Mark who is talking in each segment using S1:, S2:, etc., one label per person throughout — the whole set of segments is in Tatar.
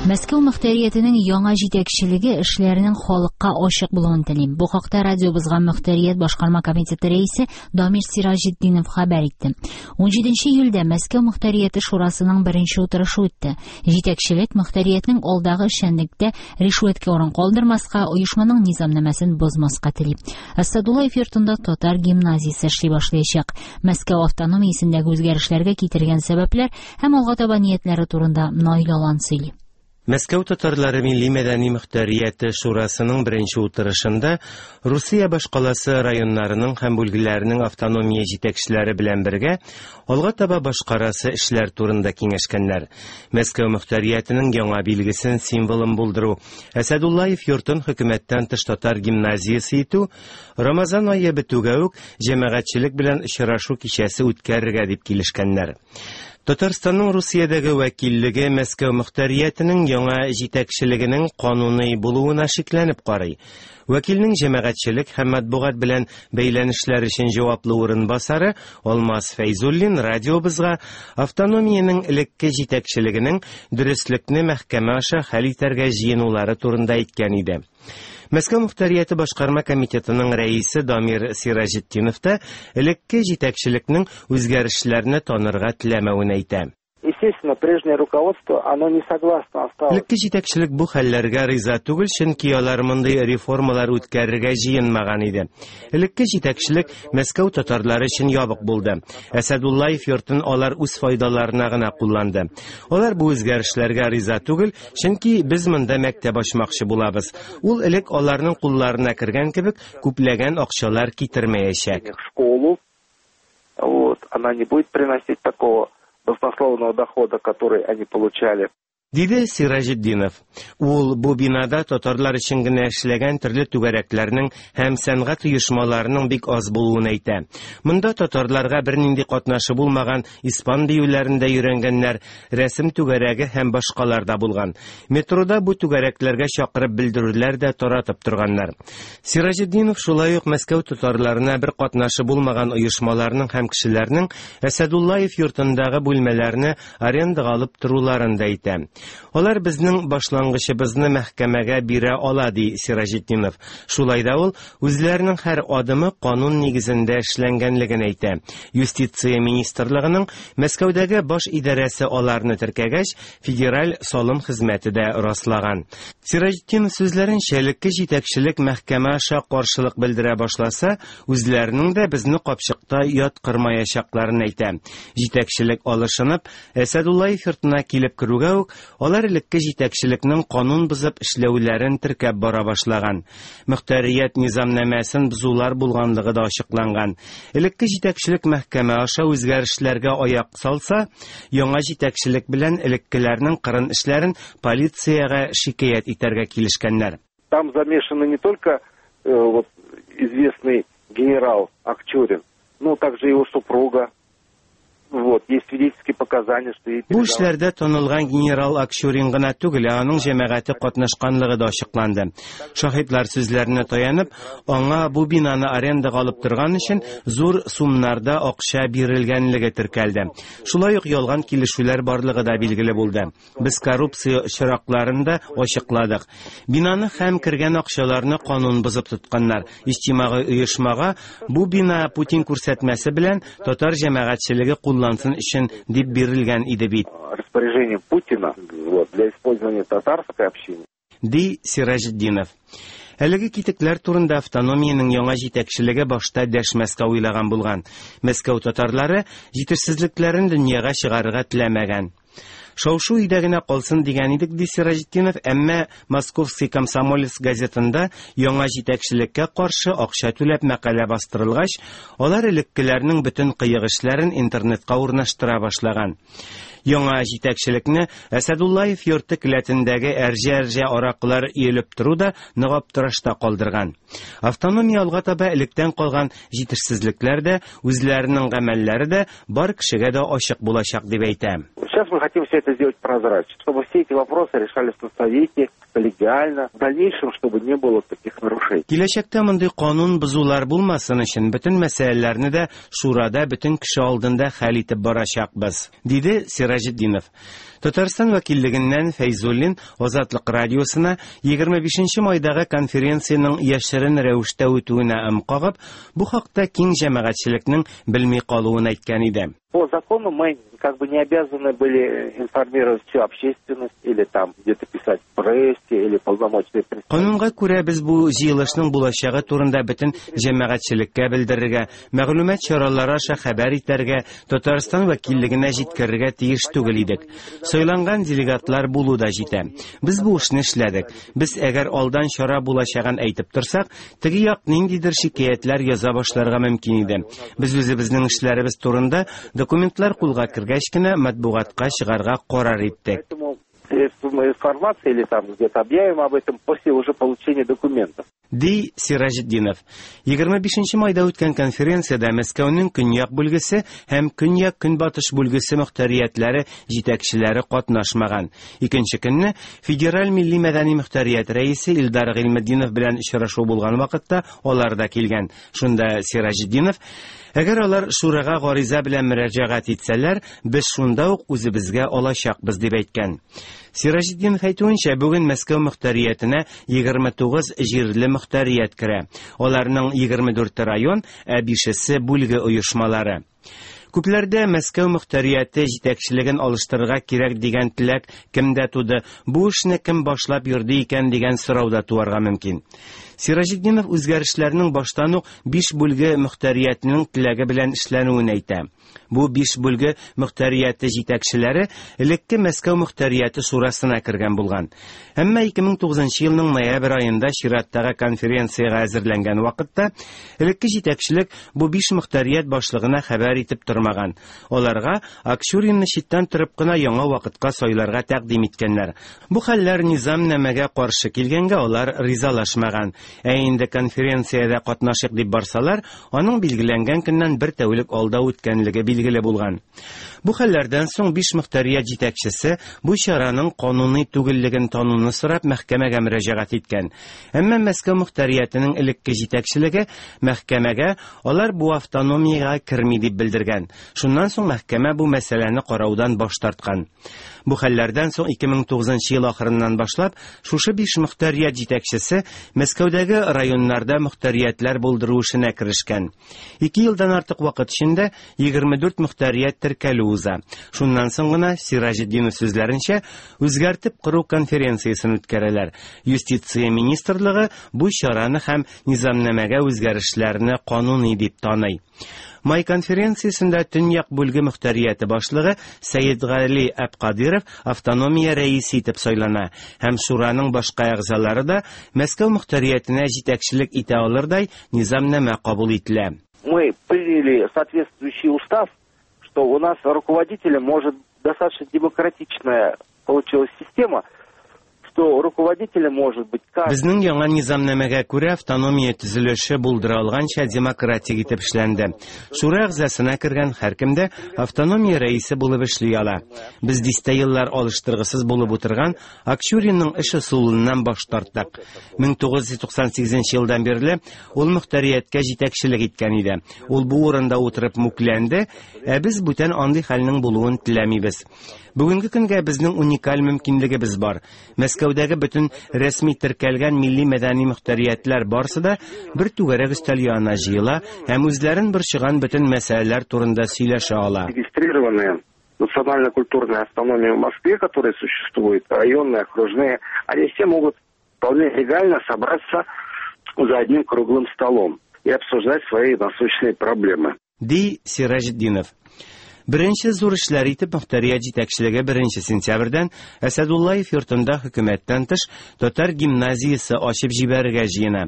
S1: Мәскәү мөхтәриятенең яңа җитәкчелеге эшләренең халыкка ачык булуын тели. Бу хакта радиобызга мөхтәрият башкарма комитеты рәисе Дамир Сираҗетдинов хәбәр итте. 17 июльдә Мәскәү мөхтәрияте шурасының беренче утырышы үтте. Җитәкчелек мөхтәриятнең алдагы эшчәнлектә ришвәткә урын калдырмаска, оешманың низамнамәсен бозмаска тели. Әсәдуллаев йортында татар гимназиясе эшли башлаячак. Мәскәү автономиясендәге үзгәрешләргә китергән сәбәпләр һәм алга таба ниятләре турында Наил Алан сөйли.
S2: Мәскәү татарлары милли-мәдәни мөхтәрияте шурасының беренче утырышында Русия башкаласы районнарының һәм бүлгеләренең автономия җитәкчеләре белән бергә алга таба башкарасы эшләр турында киңәшкәннәр. Мәскәү мөхтәриятенең яңа билгесен, символын булдыру, Әсәдуллаев йортын хөкүмәттән тыш татар гимназиясе итү, Рамазан ае бетүгә үк җәмәгатьчелек белән очрашу кичәсе үткәрергә дип килешкәннәр. Татарстанның Русиядәге вәкиллеге Мәскәү мөхтәриятенең яңа җитәкчелегенең кануный булуына шикләнеп карый. Вәкилнең җәмәгатьчелек һәм матбугат белән бәйләнешләр өчен җаваплы урынбасары Алмаз Фәйзуллин радиобызга автономиянең элекке җитәкчелегенең дөреслекне мәхкәмә аша хәл итәргә җыенулары турында әйткән иде. Мәскәү мөхтәрияте башкарма комитетының рәисе Дамир Сираҗетдинов та элекке җитәкчелекнең үзгәрешләрне танырга теләмәвен әйтә.
S3: Естественно, прежнее руководство, оно не согласно осталось.
S2: Элекке җитәкчелек бу хәлләргә риза түгел, чөнки алар мондый реформалар үткәрергә җыенмаган иде. Элекке җитәкчелек Мәскәү татарлары өчен ябык булды. Әсәдуллаев йортын алар үз файдаларына гына кулланды. Алар бу үзгәрешләргә риза түгел, Чөнки без монда мәктәп ачмакчы булабыз. Ул элек аларның кулларына кергән кебек күпләгән акчалар китермәячәк.
S3: Школу, вот, она не будет приносить такого баснословного дохода, который они получали.
S2: Диде Сираҗетдинов. Ул бу бинада татарлар өчен генә эшләгән төрле түгәрәкләрнең һәм сәнгать оешмаларының бик аз булуын әйтә. Монда татарларга бернинди катнашы булмаган испан биюләрен дә өйрәнгәннәр, рәсем түгәрәге һәм башкалар да булган. Метрода бу түгәрәкләргә чакырып белдерүләр дә таратып торганнар. Сираҗетдинов шулай ук Мәскәү татарларына бер катнашы булмаган оешмаларның һәм кешеләрнең Әсәдуллаев йортындагы бүлмәләрне арендага алып торуларын да әйтә. Алар безнең башлангычыбызны мәхкәмәгә бирә ала, ди Сираҗетдинов. Шулай да ул үзләренең һәр адымы канун нигезендә эшләнгәнлеген әйтә. Юстиция министрлыгының Мәскәүдәге баш идарәсе аларны теркәгәч, Федераль салым хезмәте дә раслаган. Сираҗетдинов сүзләренчә, элекке җитәкчелек мәхкәмә аша каршылык белдерә башласа, үзләренең дә безне капчыкта яткырмаячакларын әйтә. Җитәкчелек алышынып, Әсәдуллаев йортына килеп керүгә үк, алар элекке җитәкчелекнең канун бозып эшләүләрен теркәп бара башлаган. Мөхтәрият низамнамәсен бозулар булганлыгы да ачыкланган. Элекке җитәкчелек мәхкәмә аша үзгәрешләргә аяк салса, яңа җитәкчелек белән элеккеләрнең кырын эшләрен полициягә шикаять итәргә килешкәннәр.
S3: Там замешаны не только э, вот, известный генерал Акчурин, но также его супруга, Вот, есть свидетельские показания, что ей
S2: Бу эшләрдә танылган генерал Акчурин гына түгел, ә аның җәмәгате катнашканлыгы да ачыкланды. Шаһитлар сүзләренә таянып, аңа бу бинаны арендага алып торган өчен зур сумнарда акча бирелгәнлеге теркәлде. Шулай ук ялган килешүләр барлыгы да билгеле булды. Без коррупция очракларын да ачыкладык. Бинаны һәм кергән акчаларны канун бозып тотканнар. Иҗтимагый оешмага бу бина Путин күрсәтмәсе белән татар җәмәгатьчелеге куллансын өчен дип бирелгән иде бит.
S3: Распоряжение Путина вот, для использования татарской общины.
S2: Ди Сираҗетдинов. Әлеге китекләр турында автономиянең яңа җитәкчелеге башта дәшмәскә уйлаган булган. Мәскәү татарлары җитешсезлекләрен дөньяга чыгарырга теләмәгән. Шау-шу өйдә генә калсын дигән идек, ди Сираҗетдинов, әмма Московский комсомолец газетында яңа җитәкчелеккә каршы акча түләп мәкалә бастырылгач, алар элеккеләрнең бөтен кыек эшләрен интернетка урнаштыра башлаган. Яңа җитәкчелекне Әсәдуллаев йорты келәтендәге әрҗә-әрҗә аракылар өелеп тору да нык аптырашта калдырган. Автономия алга таба электән калган җитешсезлекләр дә, үзләренең гамәлләре дә бар кешегә дә ачык булачак дип әйтә.
S3: Сейчас мы хотим все это сделать прозрачно, чтобы все эти вопросы решались на совете, коллегиально, в дальнейшем, чтобы не было таких нарушений.
S2: Киләчәктә мондый канун бозулар булмасын өчен бөтен мәсьәләләрне дә шурада бөтен кеше алдында хәл итеп барачакбыз, диде Сираҗетдинов. Сираҗетдинов. Татарстан вәкиллегеннән Фәйзуллин Азатлык радиосына 25 нче майдагы конференциянең яшерен рәвештә үтүенә ым кагып, бу хакта киң җәмәгатьчелекнең белми калуын әйткән иде.
S3: По закону мы как бы не обязаны были информировать всю общественность или там где-то писать в прессе или полномочные представители.
S2: Канунга күрә без бу җыелышның булачагы турында бөтен җәмәгатьчелеккә белдерергә, мәгълүмат чаралары аша хәбәр итәргә, Татарстан вәкиллегенә җиткерергә тиеш түгел идек. Сайланган делегатлар булу да җитә. Без бу эшне эшләдек. Без әгәр алдан чара булачагын әйтеп торсак, теге як ниндидер шикаятьләр яза башларга мөмкин иде. Без үзебезнең эшләребез турында документлар кулга кергәч кенә матбугатка чыгарга карар иттек.
S3: Средства информации или там где-то объявим об этом после уже получения документов.
S2: Ди Сираҗетдинов. 25 нче майда үткән конференциядә Мәскәүнең көньяк бүлгесе һәм көньяк-көнбатыш бүлгесе мохтәриятләре җитәкчеләре катнашмаган. Икенче көнне Федераль милли-мәдәни мохтәрият рәисе Илдар Гыйльметдинов белән очрашу булган вакытта алар да килгән. Шунда Сираҗетдинов, Әгәр алар шурага гариза белән мөрәҗәгать итсәләр, без шунда ук үзебезгә алачакбыз, дип әйткән. Сираҗетдинов әйтүенчә, бүген Мәскәү мохтәриятенә 29 җирле мохтәрият керә. Аларның 24 район, ә бишесе бүлге оешмалары. Күпләрдә Мәскәү мохтәрияте җитәкчелеген алыштырырга кирәк дигән теләк кемдә туды, бу эшне кем башлап йөрде икән дигән сорау да туарга мөмкин. Сираҗетдинов үзгәрешләрнең баштан ук биш бүлге мохтәриятенең теләге белән эшләнүен әйтә. Бу биш бүлге мохтәрияте җитәкчеләре элекке Мәскәү мохтәрияте шурасына кергән булган. Әмма 2009 елның ноябрь аенда чираттагы конференциягә әзерләнгән вакытта элекке җитәкчелек бу биш мохтәрият башлыгына хәбәр итеп тормаган. Аларга Акчуринны читтән торып кына яңа вакытка сайларга тәкъдим иткәннәр. Бу хәлләр низамнамәгә каршы килгәнгә алар ризалашмаган. Ә инде конференциядә катнашыйк дип барсалар, аның билгеләнгән көннән бер тәүлек алда үткәнлеге билгеле булган. Бу хәлләрдән соң биш мохтәрият җитәкчесе бу чараның кануный түгеллеген тануны сорап мәхкәмәгә мөрәҗәгать иткән. Әмма Мәскәү мохтәриятенең элекке җитәкчелеге мәхкәмәгә алар бу автономиягә керми дип белдергән. Шуннан соң мәхкәмә бу мәсьәләне караудан баш тарткан. Бу хәлләрдән соң 2009 ел ахырыннан башлап шушы биш мохтәрият җитәкчесе Мәскәүдәге районнарда мохтәриятләр булдыру эшенә керешкән. Ике елдан артык вакыт эчендә 24 мохтәрият теркәлү уза. Шуннан соң гына, Сираҗетдинов сүзләренчә, үзгәртеп кору конференциясен үткәрәләр. Юстиция министрлыгы бу чараны һәм низамнамәгә үзгәрешләрне кануни дип таный. Май конференциясендә Төньяк бүлге мохтәрияте башлыгы Сәетгали Әбкадиров автономия рәисе итеп сайлана һәм шураның башка әгъзалары да Мәскәү мохтәриятенә җитәкчелек итә алырдай низамнамә кабул ителә.
S3: Мы приняли соответствующий устав, что у нас руководителем может достаточно демократичная получилась система, что руководителем может быть каждый.
S2: Безнең яңа низамнамәгә күрә автономия төзелеше булдыра алганча демократик итеп эшләнде. Шура әгъзасына кергән һәркем дә автономия рәисе булып эшли ала. Без дистә еллар алыштыргысыз булып утырган Акчуринның эш ысулыннан баш тарттык. 1998 елдан бирле ул мөхтәрияткә җитәкчелек иткән иде. Ул бу урында утырып мүкләнде, ә без бүтән андый хәлнең булуын теләмибез. Бүгенге көнгә безнең уникаль мөмкинлегебез бар. Мәскәүдәге бөтен рәсми теркәлгән милли-мәдәни мөхтәриятләр барсы да бер түгәрәк өстәл янына җыела һәм үзләрен борчыган бөтен мәсьәләләр турында сөйләшә ала.
S3: Регистрированные национально-культурные автономии в Москве, которые существуют, районные, окружные, они все могут вполне легально собраться за одним круглым столом и обсуждать свои насущные проблемы.
S2: Ди Сираҗетдинов. Беренче зур эшләр итеп мохтарият җитәкчелеге беренче сентябрьдән Әсәдуллаев йортында хөкүмәттән тыш татар гимназиясе ачып җибәрергә җыена.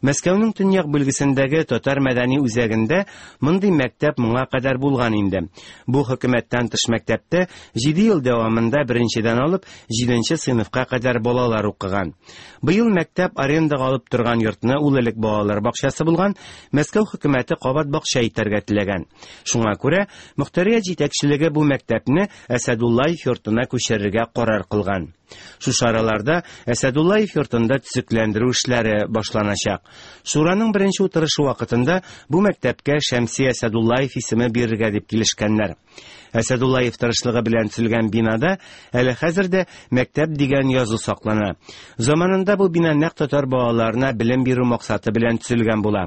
S2: Мәскәүнең төньяк бүлгесендәге татар мәдәни үзәгендә мондый мәктәп моңа кадәр булган инде. Бу хөкүмәттән тыш мәктәптә 7 ел дәвамында беренчедән алып җиденче сыйныфка кадәр балалар укыган. Быел мәктәп арендага алып торган йортны, ул элек балалар бакчасы булган, Мәскәү хөкүмәте кабат бакча итәргә теләгән. Шуңа күрә мохтарият Мохтәрият җитәкчелеге бу мәктәпне Әсәдуллаев йортына күчерергә карар кылган. Шушы араларда Әсәдуллаев йортында төзекләндерү эшләре башланачак. Шураның беренче утырышы вакытында бу мәктәпкә Шәмси Әсәдуллаев исеме бирергә дип килешкәннәр. Әсәдуллаев тырышлыгы белән төзелгән бинада әле хәзер дә мәктәп дигән язу саклана. Заманында бу бина нәкъ татар балаларына белем бирү максаты белән төзелгән була.